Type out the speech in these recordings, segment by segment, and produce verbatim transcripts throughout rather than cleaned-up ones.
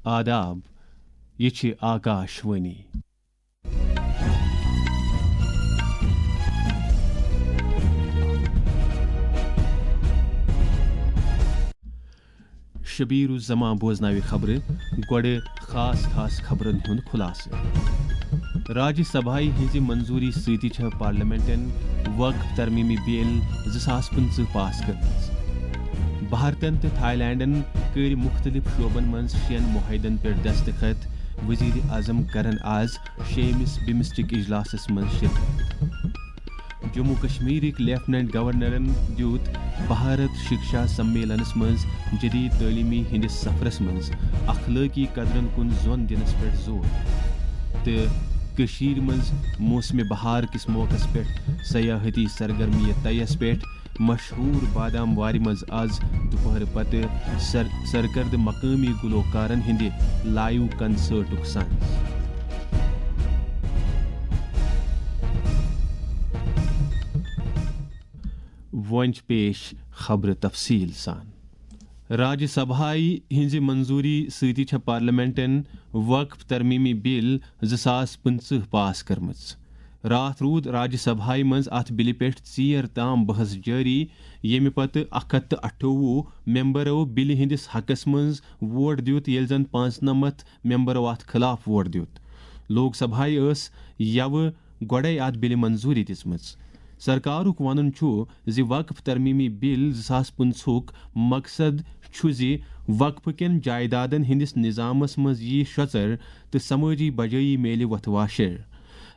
آداب، یہِ چھِ آکاش وانی۔ شبیر الزمان بوزناوِ خبرٕ، گۄڈٕ خاص خاص خبرن ہُنٛد خلاصہٕ۔ راجیہ سبھایہِ ہٕنٛزِ منظوٗری سۭتۍ چھےٚ پارلیمنٹن وقف ترمیمی بل زٕ ساس پٕنٛژٕہ پاس کٔرمٕژ۔ بھارتن تہٕ تھائی لینڈن کٔرۍ مُختٔلِف شعبن منٛز شیٚن معاہدن پٮ۪ٹھ دستخط، وزیر اعظم کرن آز شیٚیمِس بمسٹک اجلاسس منٛز شرکت۔ جموں کشمیرٕکۍ لیفٹیننٹ گورنرن دیُت بھارت شکشا سمیلنس منٛز جدید تعلیمی ہٕنٛدِس سفرس منٛز اخلٲقی قدرن کُن زون دِنس پٮ۪ٹھ زور۔ تہٕ کٔشیٖرِ منٛز موسمِ بہار کِس موقعس پٮ۪ٹھ سیاحتی سرگرمیہِ طیس پٮ۪ٹھ مشہوٗر بادام وارِ منٛز آز دُپہرٕ پتہٕ سر-، سرکردٕ مقٲمی گلوکارن ہٕنٛدِ لائیو کنسرٹُک سانز۔ وۄنۍ چھِ پیش خبرٕ تفصیٖل سان۔ راجیہ سبھایہِ ہٕنٛزِ منظوٗری سۭتۍ چھےٚ پارلیمنٹن وقف ترمیمی بل زٕ ساس پٕنٛژٕہ پاس کٔرمٕژ۔ راتھ روٗد راجیہ سبھایہِ منٛز اتھ بلہِ پٮ۪ٹھ ژیر تام بحث جٲری، ییٚمہِ پتہٕ اکھ ہتھ تہٕ اَٹھووُہ ممبرو بلہِ ہٕنٛدِس حقس منٛز ووٹ دیُت، ییٚلہِ زن پانٛژنمتھ ممبرو اتھ خلاف ووٹ دیُت۔ لوک سبھایہِ ٲس یوٕ گۄڈَے اتھ بلہِ منظوٗری دِژمٕژ۔ سرکارُک ونُن چھُ زِ وقف ترمیمی بل زٕ ساس پٕنٛژٕہُک مقصد چھُ زِ وقفہٕ کٮ۪ن جائیدادن ہٕنٛدِس نظامس منٛز یِیہِ شۄژر تہٕ سمٲجی بجٲیی میلہِ وۄتھٕ واشر۔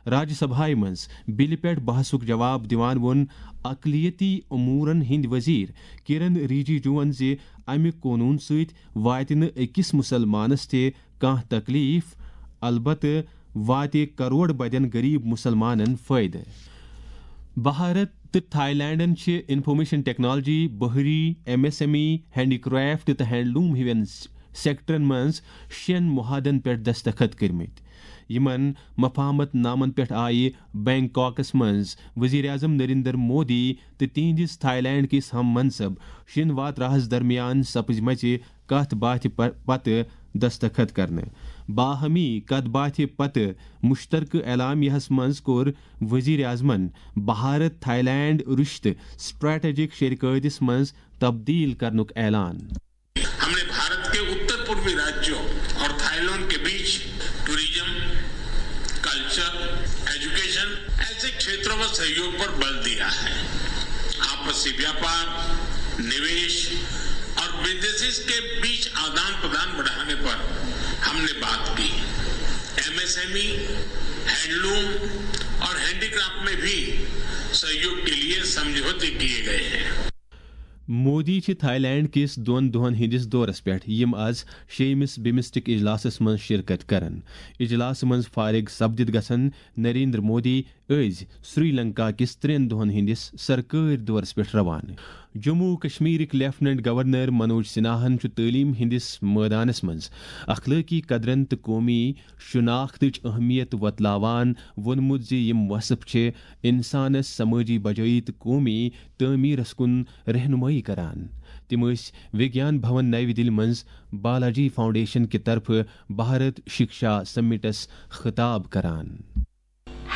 راجیہ سبھایہِ منٛز بلہِ پٮ۪ٹھ بحثُک جواب دِوان ووٚن اقلیتی امورن ہٕنٛدۍ وزیر کِرن رِجیجوَن زِ امہِ قونوٗن سۭتۍ واتہِ نہٕ أکِس مُسلمانس تہِ کانٛہہ تکلیف، البتہٕ واتہِ کرور بدٮ۪ن غریب مُسلمانن فٲیدٕ۔ بھارت تہٕ تھائی لینڈن چھِ انفارمیشن ٹیکنالوجی، بحری، M S M E, handicraft تہٕ ہینڈلوم ہِوٮ۪ن سیکٹرن منٛز شیٚن معاہدن پٮ۪ٹھ دستخط کٔرمٕتۍ۔ یِمن مفاہمت نامن پٮ۪ٹھ آیہِ بینکاکس منٛز وزیر اعظم نریندر مودی تہٕ تِہنٛدِس تھائی لینڈ کِس ہم منصب شنوا تراہس درمیان سپٕزمژِ کتھ باتھِ پ-، پتہٕ دستخط کرنہٕ۔ باہمی کتھ باتھِ پتہٕ مشترکہٕ اعلامیہس منٛز کوٚر وزیر اعظمن بھارت تھائی لینڈ رشتہٕ اسٹریٹجک شراکتس منٛز تبدیل کرنُک اعلان۔ हमने भारत के उत्तर पूर्वी राज्यों और थाईलैंड के बीच टूरिज्म, कल्चर, एजुकेशन ऐसे क्षेत्रों में सहयोग पर बल दिया है। आपसी व्यापार, निवेश और बिजनेसेस के बीच आदान प्रदान बढ़ाने पर हमने बात की। एमएसएमई, हैंडलूम और हैंडीक्राफ्ट में भी सहयोग के लिए समझौते किए गए हैं। مودی چھِ تھائی لینڈ کِس دۄن دۄہن ہٕنٛدِس دورس پٮ۪ٹھ، یِم از شیٚیمِس بمسٹک اجلاسس منٛز شرکت کرن۔ اجلاسہٕ منٛز فارغ سپدِتھ گژھن نریندر مودی أزۍ سری لنکا کِس ترٛٮ۪ن دۄہن ہٕنٛدِس سرکٲرۍ دورس پٮ۪ٹھ روانہٕ۔ جموں و کشمیرٕکۍ لیفٹیننٹ گورنر منوج سنہاہن چھُ تعلیٖم ہٕنٛدِس مٲدانس منٛز اخلٲقی قدرن تہٕ قومی شناختٕچ اہمیت وۄتلاوان ووٚنمُت زِ یِم وصف چھِ انسانس سمٲجی بجٲیی تہٕ قومی تعمیرس کُن رہنمٲیی کران۔ تِم ٲسۍ وگیان بھون نَوِ دِلہِ منٛز بالاجی فاؤنڈیشن کہِ طرفہٕ بھارت شکشا سمٹس خطاب کران۔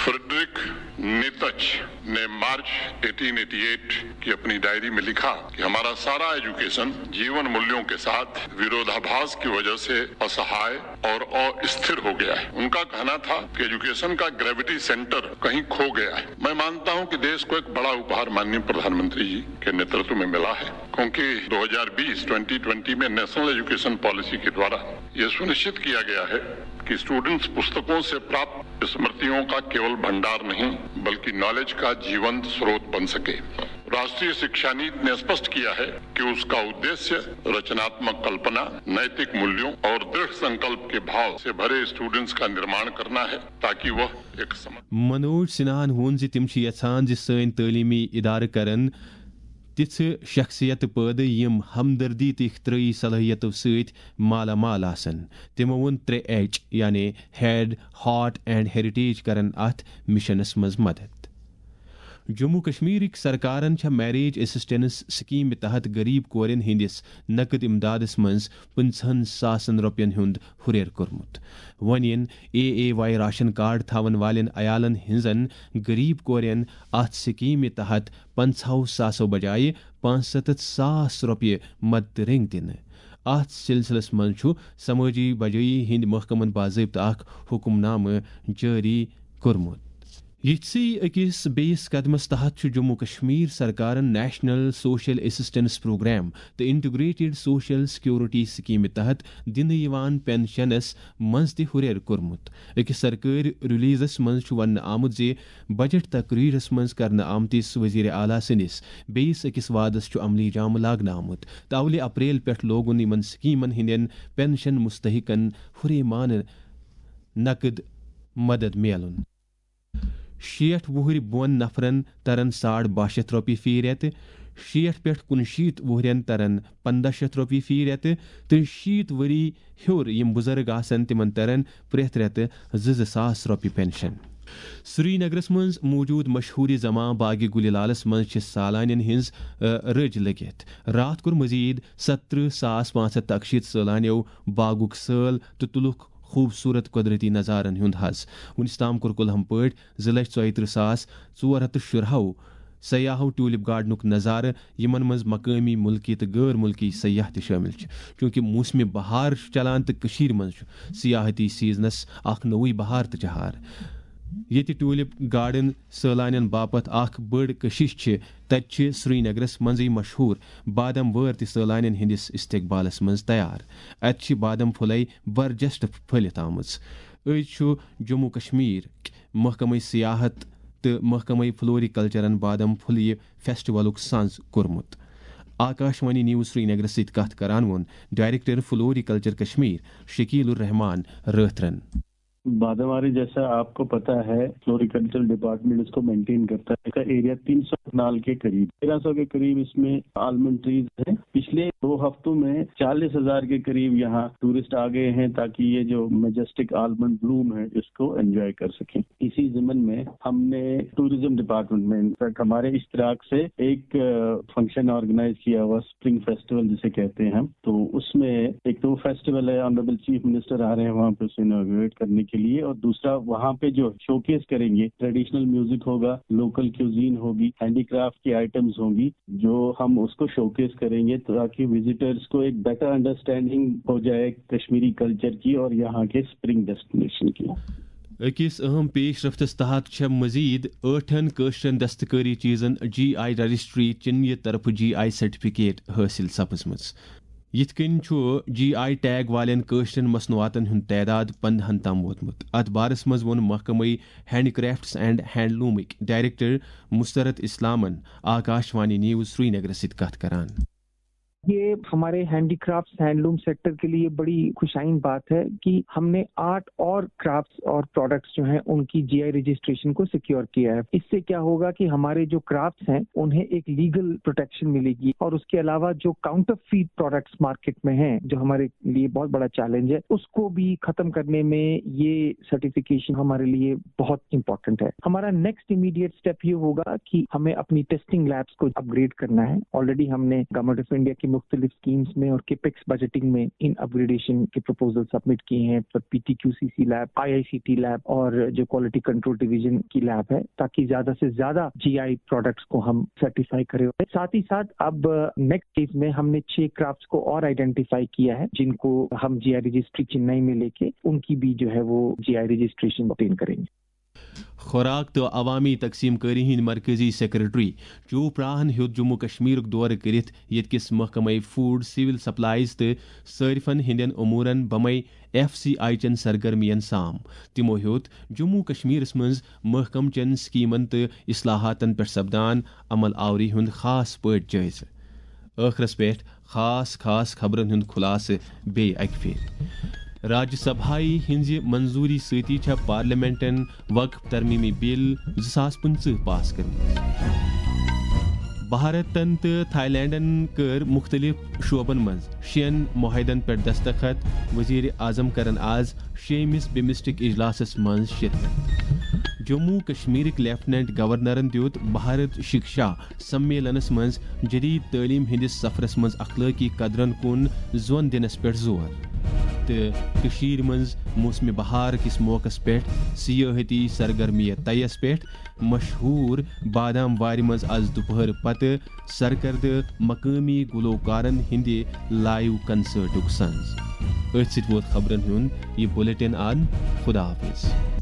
फ्रेडरिक नीतच ने मार्च अठारह सौ अट्ठासी की अपनी डायरी में लिखा कि हमारा सारा एजुकेशन जीवन मूल्यों के साथ विरोधाभास की वजह से असहाय और अस्थिर हो गया है। उनका कहना था कि एजुकेशन का ग्रेविटी सेंटर कहीं खो गया है। मैं मानता हूं कि देश को एक बड़ा उपहार माननीय प्रधानमंत्री जी के नेतृत्व में मिला है, क्योंकि दो हज़ार बीस ट्वेंटी ट्वेंटी में नेशनल एजुकेशन पॉलिसी के द्वारा यह सुनिश्चित किया गया है कि स्टूडेंट्स पुस्तकों से प्राप्त स्मृतियों का केवल भंडार नहीं, बल्कि नॉलेज का जीवंत स्रोत बन सके। राष्ट्रीय शिक्षा नीति ने स्पष्ट किया है कि उसका उद्देश्य रचनात्मक कल्पना, नैतिक मूल्यों और दृढ़ संकल्प के भाव से भरे स्टूडेंट्स का निर्माण करना है, ताकि वह एक समझ منوج سنہاہن ووٚن زِ تِم چھِ یژھان زِ سٲنۍ تعلیمی ادارٕ کرن تِژھٕ شخصیتہٕ پٲدٕ یِم ہمدردی تہٕ اختراعی صلٲحیتو سۭتۍ مالا مال آسن۔ تِمو ووٚن ترٛےٚ ایچ یعنی ہیڈ، ہارٹ اینڈ ہیریٹیج کرن اتھ مشنس منٛز مدد۔ جموں کشمیرٕکۍ سرکارن چھےٚ میریج اسسٹنس سکیمہِ تحت غریب کورٮ۪ن ہٕنٛدِس نقد امدادس منٛز پٕنٛژٕہن ساسن رۄپین ہُنٛد ہُرٮ۪ر کوٚرمُت۔ وۄنۍ یِن A A Y ration card تھاون والٮ۪ن عیالن ہٕنٛزن غریب کورٮ۪ن اتھ سکیمہِ تحت پنٛژاہو ساسو بجایہِ پانٛژستتھ ساس رۄپیہِ مدتہٕ رٔنگۍ دِنہٕ۔ اتھ سلسلس منٛز چھُ سمٲجی بجٲیی ہٕنٛدۍ محکمن باضٲبطہٕ اکھ حکم نامہٕ جٲری کوٚرمُت۔ یِتھۍ أکِس بیٚیِس قدمس تحت چھُ جموں کشمیر سرکارن نیشنل سوشل اسسٹنس پروگرام تہٕ انٹیگریٹڈ سوشل سیکورٹی سکیمہِ تحت دِنہٕ یِوان پنشنس منٛز تہِ ہُرٮ۪ر کوٚرمُت۔ أکِس سرکٲرۍ ریلیزس منٛز چھُ وننہٕ آمُت زِ بجٹ تقریرس منٛز کرنہٕ آمتِس وزیر اعلیٰ سٕنٛدِس بیٚیِس أکِس وعدس چھُ عملی جامہٕ لاگنہٕ آمُت تہٕ اولہِ اپریل پٮ۪ٹھ لوگُن یِمن سکیمن ہٕنٛدٮ۪ن پنشن مستحقن ہُرے مانہٕ نقد مدد میلُن۔ شیٹھ وُہٕرۍ بۄن نفرن ترن ساڑ باہ شیتھ رۄپیہِ فی رٮ۪تہٕ، شیٹھ پٮ۪ٹھ کُنشیٖتھ وُہرٮ۪ن ترن پنٛداہ شیتھ رۄپیہِ فی رٮ۪تہٕ تہٕ شیٖتھ ؤری ہیوٚر یِم بُزرگ آسن تِمن ترن پرٛٮ۪تھ رٮ۪تہٕ زٕ زٕ ساس رۄپیہِ پنشن۔ سرینگرس منٛز موجود مشہوٗر زماں باغ گُلہِ لالس منٛز چھِ سالانین ہٕنٛز، آ، رٔج لٔگِتھ۔ راتھ کوٚر مزید ستترٕہ ساس پانٛژھ ہتھ تہٕ اکشیٖتھ سٲلانیو باغُک سٲل تہٕ تُلُکھ خوٗبصوٗرت قۄدرٔتی نظارن ہُنٛد حظ۔ وُنیُس تام کوٚر کُلہم پٲٹھۍ زٕ لچھ ژۄیہِ ترٕٛہ ساس ژور ہتھ تہٕ شُراہو سیاحو ٹیولپ گارڈنُک نظارٕ، یِمن منٛز مقٲمی، مُلکی تہٕ غٲر مُلکی سیاح تہِ شٲمِل چھِ، چوٗنٛکہِ موسمِ بہار چھُ چلان تہٕ کٔشیٖرِ منٛز چھُ سیاحتی سیزنس اکھ نوٚوُے بہار تہٕ چہار۔ ییٚتہِ ٹیولپ گارڈن سٲلانٮ۪ن باپتھ اکھ بٔڑ کشش چھِ، تتہِ چھِ سرینگرس منٛزٕے مشہوٗر بادم وٲر تہِ سٲلانٮ۪ن ہٕنٛدِس استقبالس منٛز تیار۔ اتہِ چھِ بادم پھُلے برجستہٕ پھٔلِتھ آمٕژ۔ أزۍ چھُ جموں کشمیر محکمہ سیاحت تہٕ محکمہ فلوریکلچرن بادم پھلیہِ فیسٹیولُک سانز کوٚرمُت۔ آکاشوانی نیوز سرینگرس سۭتۍ کتھ کران ووٚن ڈائریکٹر فلوریکلچر کشمیر شکیل الرحمان رٲتھرن۔ باداماری، جیسا آپ کو پتا ہے، فلوریکلچر ڈپارٹمنٹ اس کو مینٹین کرتا ہے۔ اس کا ایریا تین سو کنال کے قریب، تیرہ سو کے قریب اس میں آلمنڈ ٹریز ہیں۔ پچھلے دو ہفتوں میں چالیس ہزار کے قریب یہاں ٹورسٹ آ گئے ہیں، تاکہ یہ جو میجسٹک آلمنڈ بلوم ہے، اس کو انجوائے کر سکیں۔ اسی ضمن میں ہم نے ٹورزم ڈپارٹمنٹ میں، انفیکٹ، ہمارے اشتراک سے ایک، آ، فنکشن آرگنائز کیا ہوا، اسپرنگ فیسٹیول جسے کہتے ہیں ہم۔ تو اس میں ایک تو فیسٹیول ہے، آنریبل چیف منسٹر آ رہے ہیں وہاں پہ اسے اناگوریٹ کرنے کے لیے، اور دوسرا وہاں پہ جو شوکیس کریں گے، ٹریڈیشنل میوزک ہوگا، لوکل کیوزین ہوگی، ہینڈی کرافٹ کی آئٹمز ہوں گی، جو ہم اس کو شوکیس کریں گے تاکہ وزٹرز کو ایک بیٹر انڈرسٹینڈنگ ہو جائے کشمیری کلچر کی اور یہاں کے اسپرنگ ڈیسٹینیشن کی۔ أکِس اہم پیش رفتس تحت چھےٚ مزید ٲٹھن کٲشرٮ۪ن دستکٲری چیزن جی آئی رجسٹری چنیہِ طرفہٕ جی آئی سرٹیفکیٹ حٲصِل سپٕزمٕژ۔ یِتھ کٔنۍ چھُ جی آئی ٹیگ والٮ۪ن کٲشرٮ۪ن مصنوعاتن ہُنٛد تعداد پندہن تام ووتمُت۔ اتھ بارس منٛز ووٚن محکمہٕ ہینڈی کرافٹس اینڈ ہینڈلومٕکۍ ڈائریکٹر مسرت اسلامن آکاشوانی نیوز سرینگرس سۭتۍ کتھ کران۔ یہ ہمارے ہینڈی کرافٹس ہینڈلوم سیکٹر کے لیے بڑی خوش آئند بات ہے کہ ہم نے آرٹ اور کرافٹس اور پروڈکٹس جو ہیں، ان کی جی آئی رجسٹریشن کو سیکیور کیا ہے۔ اس سے کیا ہوگا کہ ہمارے جو کرافٹس ہیں، انہیں ایک لیگل پروٹیکشن ملے گی، اور اس کے علاوہ جو کاؤنٹر فیٹ پروڈکٹس مارکیٹ میں ہیں، جو ہمارے لیے بہت بڑا چیلنج ہے، اس کو بھی ختم کرنے میں یہ سرٹیفکیشن ہمارے لیے بہت امپورٹنٹ ہے۔ ہمارا نیکسٹ امیڈیٹ اسٹیپ یہ ہوگا کہ ہمیں اپنی ٹیسٹنگ لیبس کو اپ گریڈ کرنا ہے۔ آلریڈی ہم نے گورنمنٹ آف انڈیا کی مختلف اسکیمز میں اور کیپیکس بجٹنگ میں ان اپ گریڈیشن کے پروپوزل سبمٹ کیے ہیں، پر P T Q C C lab, I I C T lab اور جو کوالٹی کنٹرول ڈویژن کی لیب ہے، تاکہ زیادہ سے زیادہ جی آئی پروڈکٹس کو ہم سرٹیفائی کریں۔ ساتھ ہی ساتھ اب نیکسٹ فیز میں ہم نے چھ کرافٹس کو اور آئیڈینٹیفائی کیا ہے، جن کو ہم جی آئی رجسٹری چنئی میں لے کے ان کی بھی جو ہے وہ جی آئی رجسٹریشن آبٹین کریں گے۔ خوراک تہٕ عوامی تقسیم کٲری ہٕنٛدۍ مرکزی سیکرٹری چوپراہن ہیوٚت جموں کشمیرُک دورٕ کٔرِتھ ییٚتہِ کِس محکمہٕ فوڈ، سول سپلائز تہٕ صارفن ہٕنٛدٮ۪ن امورن بمے ایف سی آئی چٮ۪ن سرگرمین سام۔ تِمو ہیوٚت جموں کشمیرس منٛز محکمہٕ چٮ۪ن سکیمن تہٕ اصلاحاتن پٮ۪ٹھ سپدان عمل آوری ہُنٛد خاص پٲٹھۍ جٲیزٕ۔ ٲخرس پٮ۪ٹھ خاص خاص خبرن ہُنٛد خلاصہٕ بیٚیہِ اکہِ پھِرِ۔ راجیہ سبھایہ ہٕنٛزِ منظوٗری سۭتی چھےٚ پارلیمنٹن وقف ترمیمی بل زٕ ساس پٕنٛژٕہ پاس کٔرمٕژ۔ بھارتن تہٕ تھائی لینڈن کٔر مُختٔلِف شعبن منٛز شیٚن معاہدن پٮ۪ٹھ دستخط، وزیر اعظم کرن آز شیٚیمِس بمسٹک اجلاسس منٛز شرکت۔ جموں کشمیرٕکۍ لیفٹیننٹ گورنرن دیُت بھارت شکشا سمیلنس منٛز جدید تعلیم ہٕنٛدِس سفرس منٛز اخلٲقی قدرن کُن زون دِنس پٮ۪ٹھ زور۔ تہٕ کٔشیٖرِ منٛز موسمِ بہار کِس موقعس پٮ۪ٹھ سیاحتی سرگرمیہِ طیس پٮ۪ٹھ مشہوٗر بادام وارِ منٛز از دُپہر پتہٕ سرکردٕ مقٲمی گلوکارن ہٕنٛدِ لائیو کنسرٹُک سنز۔ أتھۍ سۭتۍ ووت خبرن ہُنٛد یہِ بلیٹن اند۔ خدا حافظ۔